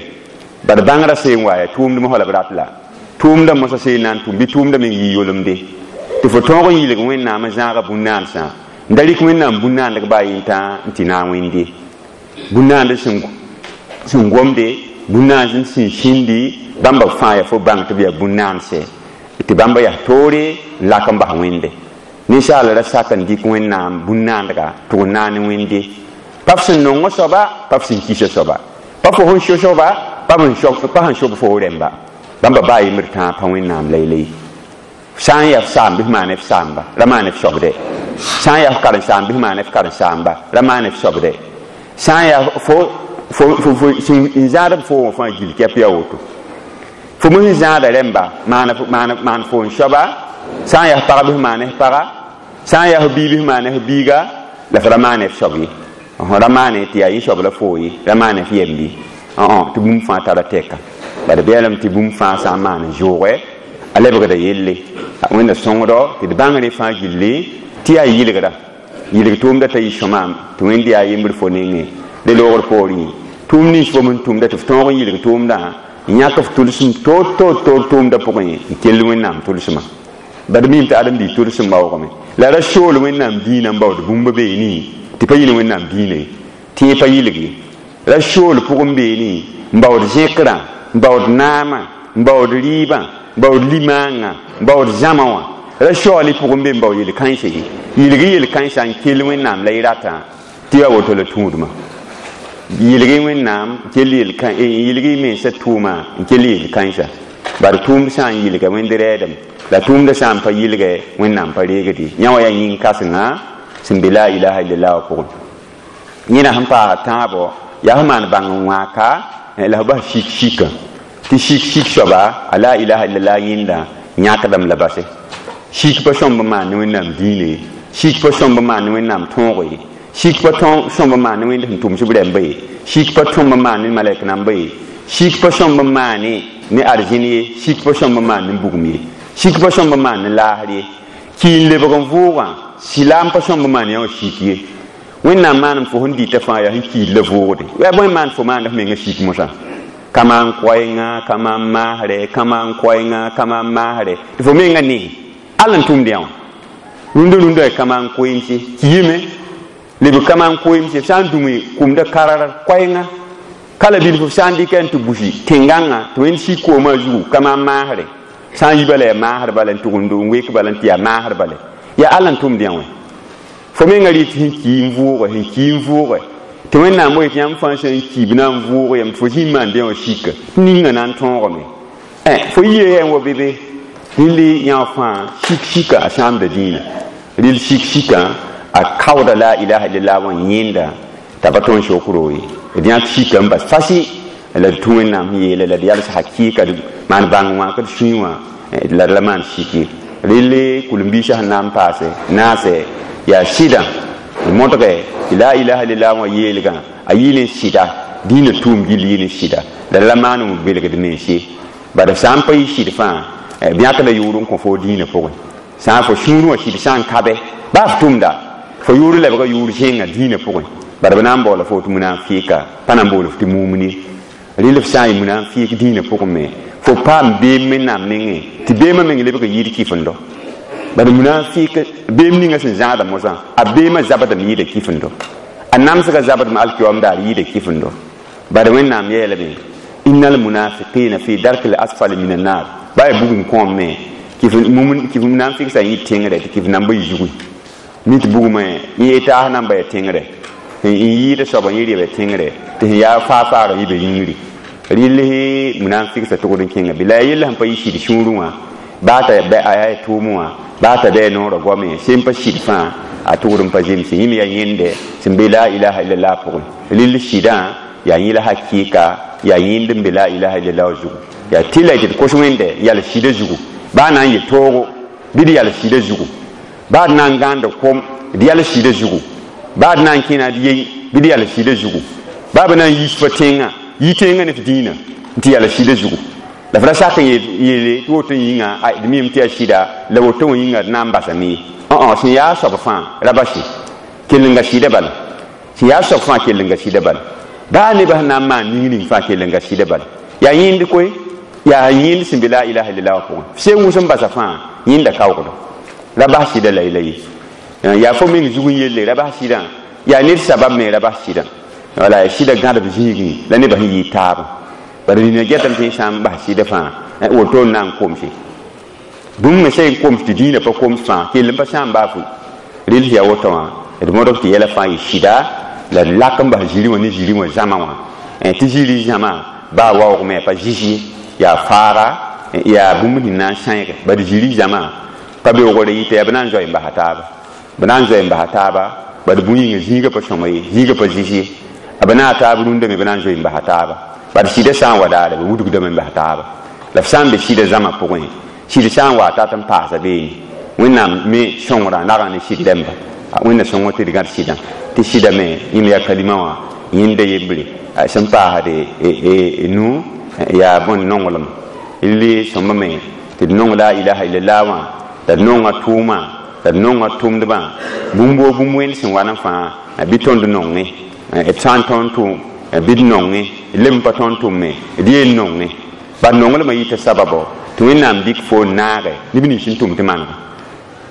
bad bãngrã seen wa yaa tʋʋmdmã fa la b rat la tʋʋmdã mosã seen na n tʋm bɩ tʋʋmdã meng yɩ yolemde tɩ fo tõog n yɩlg wẽnnaam n zãaga bũn-naansã n da rɩk wẽnnaam bũn-naandg baa yẽntã n tɩ naag wẽnde bũn-naand sẽn gomde bũn-naand sẽn sĩndi bãmba fãa yaa fo bãng tɩ b yaa bũn-naanse tɩ bãmba yaa toore n lak n bas wẽnde ninsaal ra sak n dɩk wẽnnaam bũn-naandga tʋg n naane wẽnde pa f sẽn nong soaba pa f sẽn kis soaba pa fo sẽn so soaba pa sẽn sob fo rẽmba bãmba baa yembr tãag pa wẽnnaam laylay sã n yaa f saam bɩ f maan f saamba ra maan f soabde sã n yaa f karen-saam bɩ f maan f karen-saamba ra maan f soabde sã n yaa fo fo n zãad b fo wã fãa gil kɛp yaa woto fo me sẽn zãada rẽmba maan fo n soaba Sã n yaa pag bɩ f maan f paga, sã n yaa f bii bɩ f maan f biiga, la f ra maane f soab ye. Ra maane tɩ yaa yẽ soab la foo ye, ra maane f yemb ye. Tɩ bũmb fãa tara tɛka. Bala beelame tɩ bũmb fãa sã n maan n zooge, a lebgda yelle. Wẽnda sõngdo tɩ d bãng rẽ fãa gilli tɩ yaa yɩlgra. Yɩlg tʋʋmda t'a yɩ sõma tɩ Wẽnd yaa yembr fo nengẽ le loogr poorẽ. Tʋʋm nins fo sẽn tʋmda tɩ f tõog n yɩlg tʋʋmdã n yãk f tʋlsem toor toor toor tʋʋmdã pʋgẽ n kell Wẽnnaam tʋlsmã. Bad mim tɩ ãdem-biig tʋlsem baoogame. La ra sool Wẽnnaam dĩinã n baood bũmb beene tɩ pa yɩ ne Wẽnnaam dĩinã ye, tɩ yẽ pa yɩlg ye. Ra sool pʋgẽ beene n baood zẽkrã, n baood naamã, n baood rɩɩbã, n baood limaangã, n baood zãma wã. Ra soaal pʋgẽ be n baood yel-kãensã ye. Yɩlg yel-kãensã n kell Wẽnnaam la y ratã tɩ yaa woto la tũudmã. Yɩlg Wẽnnaam kell yɩlg y mensã tʋʋma n kell yel-kãensã. Bari tʋʋmd sã n yɩlga Wẽnd rɛɛdem, la tʋʋmdã sã n pa yɩlgɛ Wẽnnaam pa reegd ye. Yã wã yaa yĩn-kãsenga sẽn be la ilaha illallah wã pʋgẽ. Yẽna sẽn paas tãabo yaa f maan bãng n wãaka la f bas sik sikã. Tɩ sik sik soaba a la ilaha illallah yẽnda yãkdame la base. Sik pa sõmb n maan ne Wẽnnaam dĩinã ye, sik pa sõmb n maan ne Wẽnnaam tõog ye, sik pa sõmb n maan ne Wẽnd sẽn tʋms b rãmba ye, sik pa sõmb n maan ne malɛk namba ye, sik pa sõmb n maane ne arzẽn ye, sik pa sõmb n maan ne bugum ye, sik pa sõmb n maan ne laasr ye. Kii n lebg n vʋʋgã silaam pa sõmb n maan yã wã sik ye. Wẽnnaam maanem fo sẽn dɩta fãa yaa sẽn kiid la vʋʋgde. Yaa bõe maan fo maand f mengã sik mosã? Ka maan koɛɛngã, ka maan maasrɛ, ka maan koɛɛngã, ka maan maasrɛ, tɩ fo mengã nee all n tʋmd yã wã. Rũndã rũndã ka maan koeemse kiime, leb ka maan koeemse sã n dũme kʋmda karar koɛɛngã ka la bilf f sã n dɩka n tɩ busi tẽngãngã tɩ Wẽnd sik koomã zugu ka maan maasrɛ, sã n yi bala yaa maasr bala n tʋgend n wek bala n tɩ yaa maasr bala, yaa all n tʋmd yã wã. Fo mengã rɩ tɩ sẽn kii n vʋʋge, sẽn kii n vʋʋge, tɩ Wẽnnaam wa yetɩ yãmb fãa sẽn ki b na n vʋʋg yam tɩ fo zĩ n maand yã wã sika, tɩ ninga na n tõogame. Fo yie yaa n wa be be rĩll yã wã fãa sik sika a sãamda dĩinã. Rɩl sik sikã a kaooda la ilaha illallah wã yẽnda t'a pa tõe n sok roo ye. D yãk sika n bas fasɩ la d tũ Wẽnnaam sẽn yeele la d yals hakɩɩka d maan bãng wã ka d sũy wã la d la maan sik ye. Rɩl kul-n-biisã sẽn na n paase naase yaa sɩdã d modge tɩ la ilaha illallah wã yeelgã a yɩ ne sɩda dĩinã tʋʋm gill yɩ ne sɩda la d la maan n belgd mens ye. Bala sã n pa yɩ sɩd fãa b yãkda yʋʋr n kõ fo dĩinã pʋgẽ. Sã n fo sũurẽ wã sɩd sã n kabe baa f tʋmda fo yʋʋr lebga yʋʋr zẽnga dĩinã pʋgẽ, bala b na n baoola fo tɩ munafɩɩka, pa na n bool f tɩ mumini. Rɩl f sã n yɩ munafɩɩk dĩinã pʋgẽ me fo paam beem Wẽnnaam nengẽ tɩ beemã meng lebg n yɩɩd kɩfendo. Bala munafɩɩk beem ninga sẽn zãada mosã a beemã zabdame yɩɩda kɩfendo, a namsgã zabdame alkiyoam daar yɩɩda kɩfendo. Bala Wẽnnaam yeelame innal munafiqina fi darki l asfali min annar, baa yaa bugum kõom me kɩf munafɩk sã n yɩ tẽngrɛ tɩ kɩf namba yɩ zugẽ mi tɩ bugmã yẽ taas namba yaa tẽngrɛ, n yɩɩda soaba yẽ rɩ tẽngrɛ tɩ sẽn yaa faa-faagã yɩ be yĩngri. Rɩl munafɩk sa tʋgd n kẽnga bɩ la yaa yell sẽn pa yɩ sɩd sũurẽ wã baa t'a a yaa tʋʋm wã baa t'a bɩ a noorã goame sẽn pa sɩd fãa a tʋgd n pa zemse. Yẽ me yaa yẽnde sẽn be la ilaha illallah pʋgẽ. Rɩl sɩdã yaa yẽ la hakɩɩka yaa yẽnd n be la ilaha illallah zugu. Yaa tɩ la tɩ d kos Wẽnde yal sɩdã zugu baa na n yɩ toogo bɩ d yal sɩdã zugu, baa d na n gãand kom d yal sɩdã zugu, baa d na n kẽna d yei bɩ d yal sɩdã zugu, baa b na n yiis fo tẽngã yi tẽngã ne f dĩinã n tɩ yal sɩdã zugu. La f ra sak n yeele tɩ woto yĩnga d mim tɩ yaa sɩda la woto wã yĩnga d na n basame ye. Õ sẽn yaa soab fãa ra base kell n ga sɩda bala, sẽn yaa soab fãa kell n ga sɩda bala, baa nebã sẽn na n maan ning ning fãa kell n ga sɩda bala. Yaa yẽnd koe, yaa yẽnd sẽn be la ilaha illallah wã pʋgẽ. F sẽn wʋs n basa fãa yẽnda kaoogdo ra bas sɩda la y la ye. Yaa fo meng zug n yelle ra bas sɩdã, yaa ned sabab me ra bas sɩdã. Wala sɩda gãdb zĩigẽ la nebã sẽn yɩɩ taabã. Bala nina getame tɩ sã n bas sɩda fãa woto n na n komse. Bũmb me sẽn koms tɩ dĩinã pa koms fãa kell n pa sãam baa fʋ. Rɩl sẽn yaa woto wã d modg tɩ yɛla fãa yɩ sɩda la d lak n bas zĩri wã ne zĩri wã zãma wã tɩ zĩri zãma baa waoogme a pa zɩs ye, yaa faaga yaa bũmb sẽn na n sãeege. Bala zĩri zãma pa beoogre yɩta yaa b na n zoe n basa taaba, b na n zoe n basa taaba bala bũn yĩnga zĩigã pa sõma ye, zĩigã pa zɩs ye. B na a taab rũndame b na n zoe n basa taaba. Bala sɩdã sã n wa daare b wudgdame n bas taaba. La f sã n be sɩdã zãma pʋgẽ, sɩd sã n wa tat n paasa beene Wẽnnaam me sõngrã rag n ne sɩd rãmba. Wẽnna sõngr tɩ d gãd sɩdã tɩ sɩda me yẽm yaa kalima wã yẽnda yembre sẽn paasd nu yaa bõn nonglem le sõmba me tɩ d nong la ilaha illallah wã la d nonga tʋʋmã la d nonga tʋmdbã bũmb woo bũmb wẽnd sẽn wa n fãa bɩ tõnd nonge d sã n tõnd tʋm bɩ d nonge d leb n pa tõnd tʋmme d yeen nonge bad nonglmã yita sababo tɩ Wẽnnaam dɩk fo n naage neb nins sẽn tʋm tɩ manega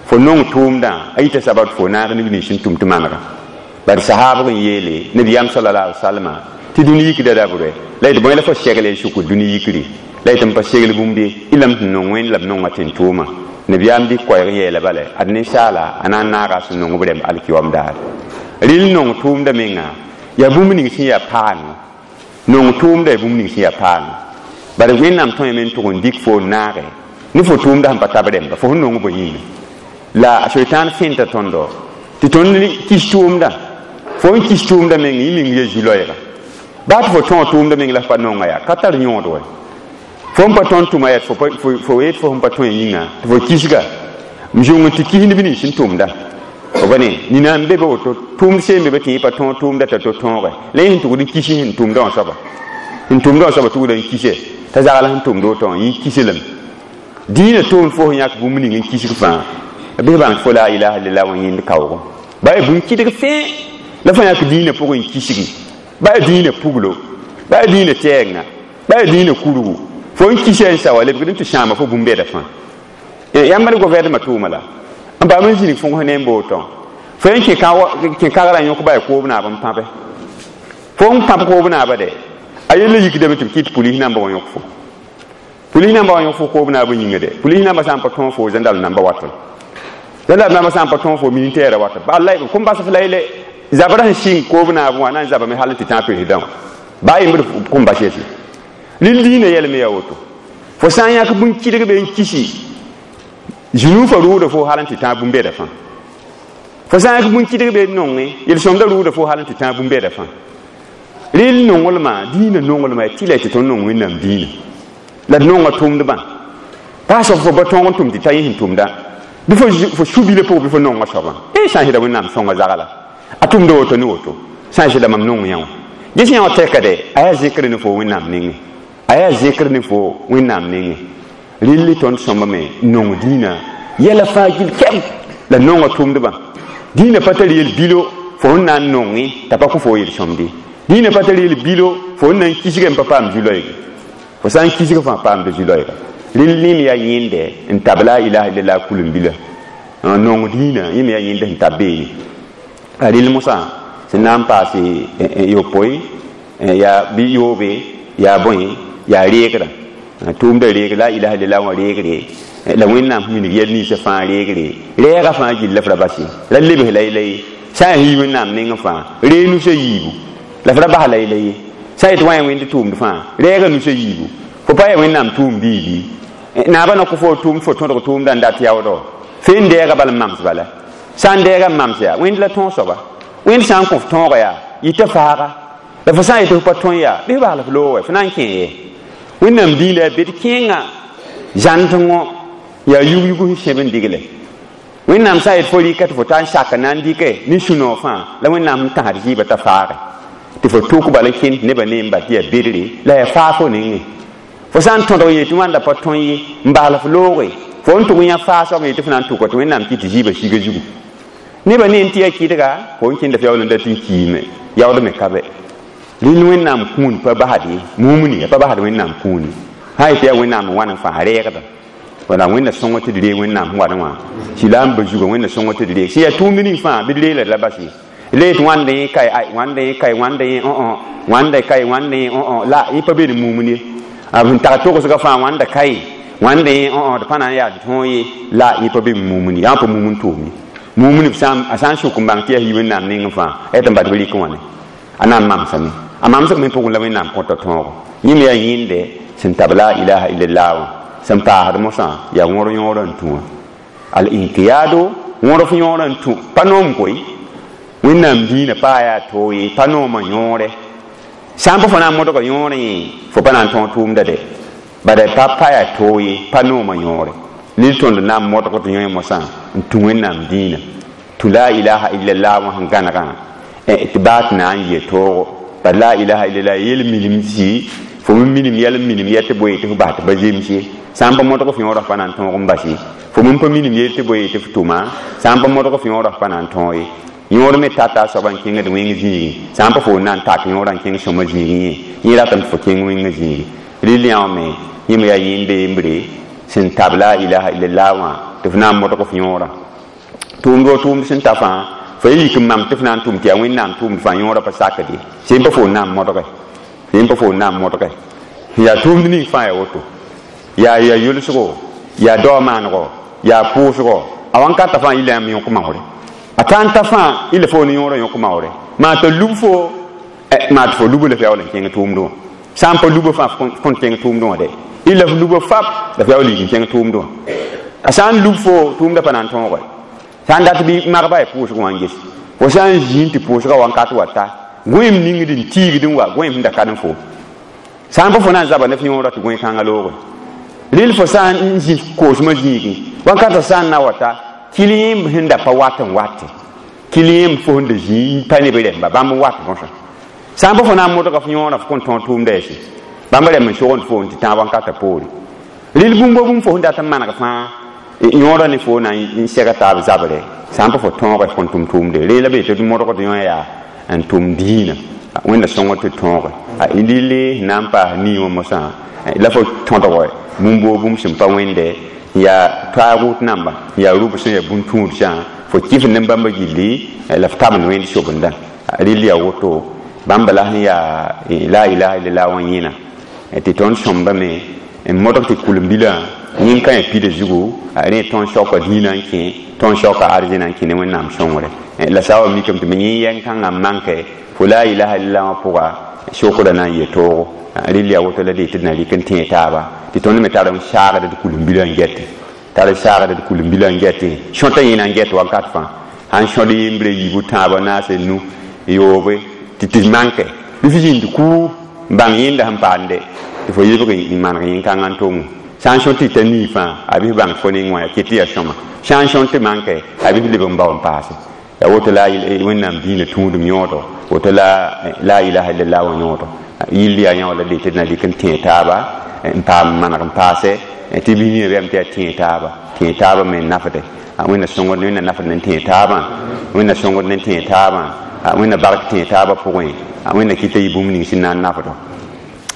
fo nong tʋʋmdã a yita sabab tɩ fo naag neb nins sẽn tʋm tɩ manega bad sahaabg n yeele nabiyaam sallallahu alaihi wasallam tɩ dũni yikda dabre la d bõe la fo segle n sʋk dũni yikri la y tɩ n pa segl bũmb ye y lame tɩ nong wẽnd la b nonga tẽn-tʋʋmã nabiyaam dɩk koɛɛg n yeela bala ad ninsaala a na n naaga a sẽn nong b rɛmb alkiyoam daar rɩl nong tʋʋmda menga yaa bũmb ning sẽn yaa paano nong tʋʋmda yaa bũmb ning sẽn yaa paano bala Wẽnnaam tõeme n tʋg n dɩk fo n naage ne fo tʋʋmda sẽn pa tab rẽmba fo sẽn nong bõ yĩnga la soitan fẽnta tõndo tɩ tõnd kis tʋʋmda fo n kis tʋʋmda meng yẽ meng ya zu-loɛɛga baa tɩ fo tõog tʋʋmda meng la f pa nonga yaa ka tar yõod wɛ fo n pa tõnd tʋma yaa fo yet fo sẽn pa tõe yĩnga tɩ fo kisga n zũng n tɩ kis neb nins sẽn tʋmda fo pa ne nina n be be woto tʋʋmd seen be be tɩ yẽ pa tõog tʋʋmda t'a to tõoge la yẽ sẽn tʋgd n kis sẽn tʋmda wã soaba sẽn tʋmda wã soaba tʋgda n kise t'a zagl sẽn tʋmd woto wã yẽ kise lame dĩinã tʋʋmd fo sẽn yãk bũmb ning n kisg fãa bɩ bãng tɩ fo la ilaha illallah wã yẽnd kaoogo ba yaa bũmb kɩdg fẽe la fo yãk dĩinã pʋgẽ n kisgi ba yaa dĩinã puglo ba yaa dĩinã tɛɛngã ba yaa dĩinã kurgu fo n kisa n sa wa lebgd n tɩ sãama fo bũmb-bɛda fãa yãmb d govɛɛdmã tʋʋma la n paam n zĩnig fõgs ne n bootõ fo n kẽ kagrã yõk ba yaa koob naab n pãbe fo n pãb koob naaba de a yella yikdame tɩ b kɩt pulis namba wã yõk fo pulis namba wã yõk fo koob naab yĩnga de pulis namba sã n pa tõog fo zẽndal namba watl zẽndal namba sã n pa tõog fo militaire watl ba kom bas f la yele zabra sẽn sɩng koob naab wã na n zabame hal n tɩ tã président wã baa yembd kom bas yɛsɩ rɩl dĩinã yɛlme yaa woto fo sã n yãk bũn-kɩdg be n kisi zũnuufã rʋʋda fo hal n tɩ tã bũmb-bɛda fãa fo sã n yãk bũn-kɩdg be n nonge yel-sõmda rʋʋda fo hal n tɩ tã bũmb-bɛda fãa rɩl nonglmã dĩinã nonglmã yaa tɩ la tɩ tõnd nong Wẽnnaam dĩinã la d nonga tʋmdbã baa soab fo ba tõog n tʋm tɩ ta yẽ sẽn tʋmda bɩ fo su-bilã pʋgẽ bɩ fo nonga soabã e sã n sɩda Wẽnnaam sõnga zagla a tʋmda woto ne woto sã n sɩda mam nong yã wã ges yã wã tɛka de a yaa zẽkr ne fo Wẽnnaam nengẽ a yaa zẽkr ne fo Wẽnnaam nengẽ rɩl tõnd sõmba me nong dĩinã yɛla fãa gil kɛm la nonga tʋmdbã dĩinã pa tar yel bilo fo sẽn na n nonge t'a pa kõ fo yel-sõmde dĩinã pa tar yel bilo fo sẽn na n kisg n pa paam zu-loeege fo sã n kisg fãa paamda zu-loeega rɩl yẽm yaa yẽnde n tab la ilaha illallah kulim-bila nong dĩinã yẽm yaa yẽnd sẽn tab beene a rɩl mosã sẽn na n paase yopoe yaa bɩ yoobe yaa bõe yaa reegrã tʋʋmda reeg la ilaha illallah wã reegre la Wẽnnaam minig yɛl ninsã fãa reegre rɛɛga fãa gill la f ra bas ye la lebs la la ye sã n yi Wẽnnaam nengẽ fãa ree nusã yiibu la f ra bas la ye la ye sã n yet wã yaa wẽnd tʋʋmd fãa rɛɛga nusã yiibu fo pa yaa Wẽnnaam tʋʋmd yiibi naabã na kõ fo tʋʋmd fo tõdg tʋʋmdã n dat yaoodɔ fe n dɛɛga bal n mams bala sã n dɛɛga n mams yaa wẽnd la tõog soaba wẽnd sã n kõ f tõoga yaa yɩta faaga la fo sã n yetɩ f pa tõe yaa bɩ f bas la f loog fo na n kẽ ye Wẽnnaam dĩinã yaa bed kẽengã zãndengõ yaa yug-yug sẽn sẽb n digle Wẽnnaam sã n yet fo rɩka tɩ fo ta n sak n na n dɩke ne sũ-noog fãa la Wẽnnaam sẽn tãsd zɩɩbã t'a faage tɩ fo tʋk bala n kẽnd nebã ne n bal tɩ yaa bedre la yaa faag fo nengẽ fo sã n tõdg n yetɩ wãnda pa tõe ye n bas la f looge fo n tʋg yã faag soab n yetɩ fo na n tʋka tɩ Wẽnnaam kɩ tɩ zɩɩbã siga zugu nebã ne n tɩ yaa kɩdga fo n kẽnda f yaool n dat n kiime yaood me ka bɛ rɩl Wẽnnaam kũun pa basd ye mumuni a pa basd Wẽnnaam kũuni sã yetɩ yaa Wẽnnaam n wa n fãa reegda wala Wẽnna sõng tɩ d reeg Wẽnnaam sẽn wa wã sila n ba zuga Wẽnna sõng tɩ d reeg sẽn yaa tʋʋmd ning fãa bɩ d reela d la bas ye la yet wãnda yẽ kae ay wãnda yẽ kae wãnda yẽ õ wãnda kae wãnda yẽ õ la yẽ pa be ne mumuni ye b sẽn tag togsga fãa wãnda kae wãnda yẽ õ d pa na n yaa d tõog ye la yẽ pa be mumuni yaa pa mumun tʋʋm ye mumuni a sã n sʋk n bãng tɩ yaa yi Wẽnnaam nengẽ fãa a yet n bat bɩ rɩk wãne a na n mamsame a mamsg me pʋgẽ la Wẽnnaam kõta tõogo yẽm yaa yẽnde sẽn tab la ilaha illallah wã sẽn paasd mosã yaa wõr yõorã n tũ wã al inqiyado wõr f yõorã n tũ pa noom koe Wẽnnaam dĩinã paa yaa toog ye pa noomã yõore sã n pa fo na n modga yõorẽ fo pa na n tõog tʋʋmda de bada pa pa yaa toog ye pa noomã yõore Lil tõnd na n modg d yõe mosã n tũ Wẽnnaam dĩinã tũ la ilaha illallah wã sẽn gãnegã tɩ baa tɩ na n yɩ toogo pa la ilaha illallah yel minim-si fo me minim yɛl n minim yɛ tɩ boe tɩ f bas tɩ pa zems ye sã n pa modg f yõodã pa na n tõog n bas ye fo me pa minim yel tɩ boe tɩ f tʋma sã n pa modg f yõodã pa na n tõog ye yõod me tata a soaba n kẽngd wẽng zĩigi sã n pa fo na n tak yõodã n kẽng sõma zĩigẽ ye yẽ ratame tɩ fo kẽng wẽngã zĩigi rɩl yã wã me yẽ me yaa yẽnde yembre sẽn tab la ilaha illallah wã tɩ f na n modg f yõodã tʋʋmd wa tʋʋmd sẽn ta fãa fo ye yik n mam tɩ f na n tʋm tɩ yaa Wẽnnaam tʋʋmd fãa yõodã pa sakd ye sẽn pa fo n na n modge sẽn pa fo n na n modge yaa tʋʋmd ning fãa yaa woto yaa yaa yʋlsgo yaa dao maanego yaa pʋʋsgo a wãnkata fãa yɩla yãmb yõk maoore a ta n ta fãa yɩla fo ne yõodã yõk maoore maa t'a lub fo maa tɩ fo lubo la f yaool n kẽng tʋʋmdẽ wã sã n pa lubo fãa f kõn kẽng tʋʋmdẽ wã dɛ yɩla f lubo fap la f yaool yik n kẽng tʋʋmdẽ wã a sã n lub fo tʋʋmdã pa na n tõoge sã n dat bɩ magba ya pʋʋsg wã n ges fo sã n zĩig tɩ pʋʋsgã wãnkat wa ta gõeem ningd n tiigd n wa gõeem sẽn da ka n fo sã n pa fo na n zaba ne f yõodã tɩ gõe-kãngã looge rɩl fo sã n zĩ koosmã zĩigẽ wãnkatã sã n na wa ta kɩl yẽmb sẽn da pa wat n wate kɩl yẽmb fo sẽn da zĩ n pa ne b rɛmba bãmb n wat bõsã sã n pa fo na n modga f yõodã f kõn tõog tʋʋmda yaa bãmb rɛm n sogend fo n tɩ tãag wãnkatã poore rɩl bũmb bũmb fo sẽn dat n maneg fãa yõodã ne fo na n sɛga taab zabrɛ sã n pa fo tõoge f kõn tʋm tʋʋmde ree la be tɩ d modgd yõ yaa n tʋm dĩinã Wẽnna sõngr tɩ tõoge lille na n paas nii wã mosã la fo tõdg bũmb woo bũmb sẽn pa wẽnde yaa toaagʋt namba yaa rʋb sẽn yaa bũn-tũudsã fo kɩf ne bãmba gilli la f tabend wẽnd sobendã rɩl yaa woto bãmba la sẽn yaa la ilaha illallah wã yẽna tɩ tõnd sõmbame n modg tɩ kulembilã yẽn ka yã pida zugu rẽ tõnd saoka dĩinã n kẽ tõnd saoka arzẽna n kẽ ne Wẽnnaam sõngre la sã wa mikame tɩ me yẽ yɛng-kãngã n manke fo la ilaha illallah wã pʋga sokdã na n yɩ toogo rɩl yaa woto la dee tɩ d na rɩk n tẽe taaba tɩ tõnd me tar n saagd d kulembilã n gɛte tar n saagd d kulembilã n gɛte sõta yẽna n gɛt wakat fãa sãn sõd yembre yiibu tãabã naase nu yoobe tɩ tɩ manke bɩ f zĩnd kuu n bãng yẽnda sẽn paamde tɩ fo yebg n maneg yẽn-kãngã n tongo sã n sõt tɩ ta nii fãa a bɩ f bãng fo neng wã yaa ket tɩ yaa sõma sã n sõt tɩ manke a bɩ f leb n bao n paase yaa woto la Wẽnnaam dĩinã tũudum yõodo woto la la ilaha illallah wã yõodo yɩll yaa yã wala dee tɩ d na rɩk n tẽe taaba n paam maneg n paase tɩ bɩ nina bɛm tɩ yaa tẽe taaba tẽe taaba me n nafde Wẽnna sõngd Wẽnna nafd ne tẽe taabã Wẽnna sõngd ne tẽe taabã Wẽnna bark tẽe taabã pʋgẽ Wẽnna kɩta yɩ bũmb ning sẽn na n nafdo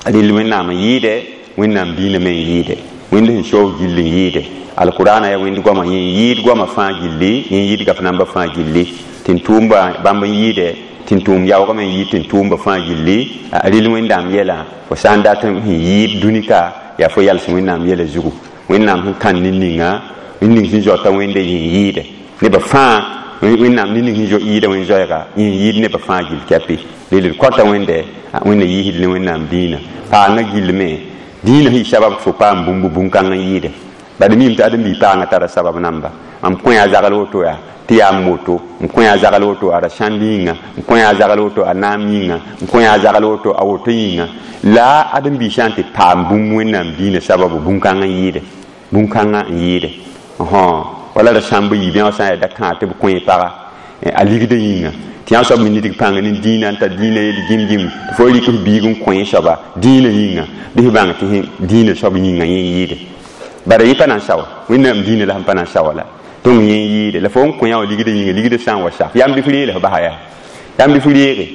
rɩl Wẽnnaam n yɩɩde Wẽnnaam dĩinã me n yɩɩde Wẽnd sẽn soog gill n yɩɩde alqurana yaa wẽnd goama yẽ yɩɩd goama fãa gilli yẽ yɩɩd gaf namba fãa gilli tɩ n tʋʋmba bãmb n yɩɩde tɩ n tʋʋm yaoogame n yɩɩd tɩ n tʋʋmba fãa gilli rɩl Wẽnnaam yɛlã fo sã n dat n yɩɩd dũni-ka yaa fo yals Wẽnnaam yɛla zugu Wẽnnaam sẽn kãn nin-ninga ning sẽn zoata Wẽnde yẽ yɩɩde nebã fãa Wẽnnaam nin-ning sẽn yɩɩda wẽn zoɛɛga yẽ yɩɩd nebã fãa gill kɛpɩ rel d kõta Wẽnde Wẽnna yiisd ne Wẽnnaam dĩinã paangã gillme dĩinã sẽn yɩ sabab tɩ fo paam bũmb bũn-kãng n yɩɩde bad mim tɩ ãdem-biig paangã tara sabab namba mam kõ yaa zagl woto yaa tɩ yaa m woto n kõ yaa zagl woto a ra sãnd yĩnga n kõ yaa zagl woto a naam yĩnga n kõ yaa zagl woto a woto yĩnga la ãdem-biig sã n tɩ paam bũmb Wẽnnaam dĩinã sababu bũn-kãng n yɩɩde bũn-kãngã n yɩɩde wala ra sãmb yiib yã sã n yaa da-kãag tɩ b kõ paga a ligdã yĩnga tɩ yã soab me nidg pãng ne dĩinã n tar dĩinã yel gĩm-gĩm tɩ fo rɩk f biig n kõ soaba dĩinã yĩnga bɩ f bãng tɩ dĩinã soab yĩnga yẽ yɩɩde bara yẽ pa na n sawa Wẽnnaam dĩinã la sẽn pa na n sawa la tõng yẽ yɩɩde la fo n kõ yã wã ligdã yĩnga ligdã sã n wa sak yãmb bɩ f reele f basa yaa yãmb bɩ f reege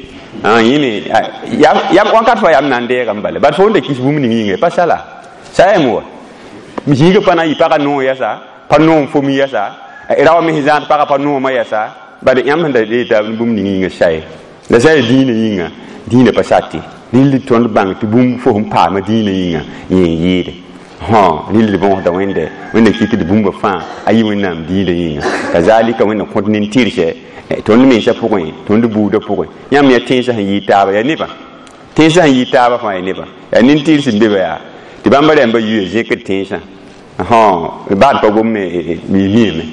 yẽme wãnkat fãa yam na n deegame bala bad fo n da kis bũmb ning yĩnga pa sala sa yam wa zĩigã pa na n yɩ pagã noog yɛsa pa noom fo mi yɛsa raoã me sẽn zãad pagã pa noomã yɛsa bad yãmb sẽn da reeta bũmb ning yĩnga saye la sa yaa dĩinã yĩnga dĩinã pa sate rɩl tõnd bãng tɩ bũmb fo sẽn paama dĩinã yĩnga yẽ n yɩɩde rɩl d bõosda Wẽnde Wẽnna kɩt d bũmba fãa a yɩ Wẽnnaam dĩinã yĩnga kazalika Wẽnna kõt nin-tɩrse tõnd mensã pʋgẽ tõnd buudã pʋgẽ yãmb yaa tẽnsã sẽn yɩɩ taaba yaa nebã tẽnsã sẽn yɩɩ taaba fãa yaa nebã yaa nin-tɩrs n be ba yaa tɩ bãmba rãmba yuya zẽkd tẽnsã baad pa gom miime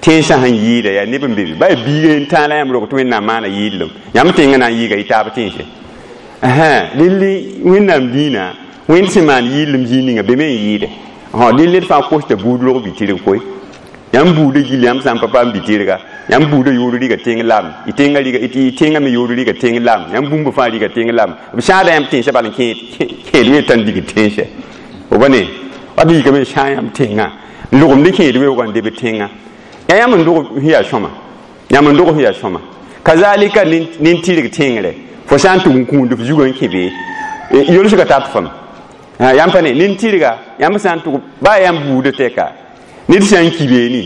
tẽnsã sẽn yɩɩda yaa neb n be be ba yaa biiga n tãa la yãmb rog tɩ Wẽnnaam maana yɩɩdlem yãmb tẽngã na n yɩɩga yɩ taab tẽnse rɩl Wẽnnaam dĩinã Wẽnd sẽn maan yɩɩdlem zĩig ninga be me n yɩɩde Ha ned ned fãa kosta buud rog bi-tɩrg koe. Yãmb buudã gilli yãmb sã n pa paam bi-tɩrga, yãmb buudã yoor riga tẽng lam, y tẽngã riga, y tẽngã me yoor riga tẽng lam, yãmb bũmb fãa riga tẽng lam. B sãada yãmb tẽnsã bal n kẽed kẽed wee tãn dig tẽnsɛ. Fo ba ne wat n yikame n sãa yãmb tẽngã n logem ne kẽed weoogã n deb tẽngã. Yaa yãmb n dog sẽn yaa sõma, yãmb n dog sẽn yaa sõma. Kazalika nin-tɩrg tẽngre, fo sã n tʋg n kũund f zugã n kẽ be, yolsga tat fam. Yãmb pa ne nin-tɩrga, yãmb sã n tʋg baa yãmb buudã tɛka, ned sã n ki beene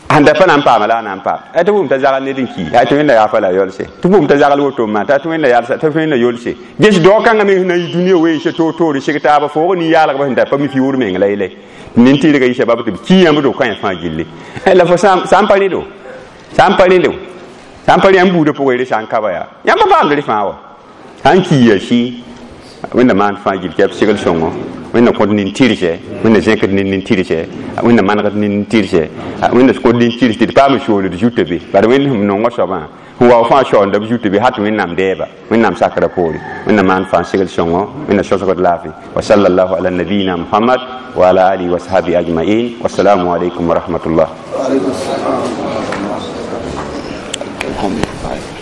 sẽn da pa na n paama la a na n paam. Tɩ bʋʋm t'a zagl ned n ki, tɩ wẽnda yaa fa la yolse, tɩ bʋʋm t'a zagl woto n maan, tɩ wẽnda yalsa, tɩ wẽnda yolse. Ges dao kãngã meng sẽn na n yi dũniyã weese toor-toore seg taaba foog nin-yaalgba sẽn da pa mi fiuur meng la yele. Nin-tɩrgã yɩ sabab tɩ b ki yãmb do kãens fãa gilli. La fo sã n pa rẽdo, sã n pa rẽndo, sã n pa rẽ yãmb buudã pʋgẽ rẽ sã n ka ba yaa, yãmb pa paamd rẽ fãa wa. Sã n ki ya sɩ, wẽnda maan fãa gill tɩ b segl sõngo, wẽnda kõt nin-tɩrgsɛ, wẽnda zẽkd nin-tɩrgsɛ, wẽnda manegd nin-tɩrgsɛ, wẽnda kõt nin-tɩrs tɩ d paam sooled zutã be. Bala wẽnd sẽn nongã soabã sẽn wa fãa shaoonda b zutã be, hat wẽnnaam dɛɛba, wẽnnaam sakrã poore. Wẽnda maan fãa segl sõngo, wẽnda sõsgd laafɩ. Wa sallallahu ala nabiyina Muhammad wa ala alihi wa sahbihi ajma'in. Wassalamu alaikum wa rahmatullah. Wa alaikum salam.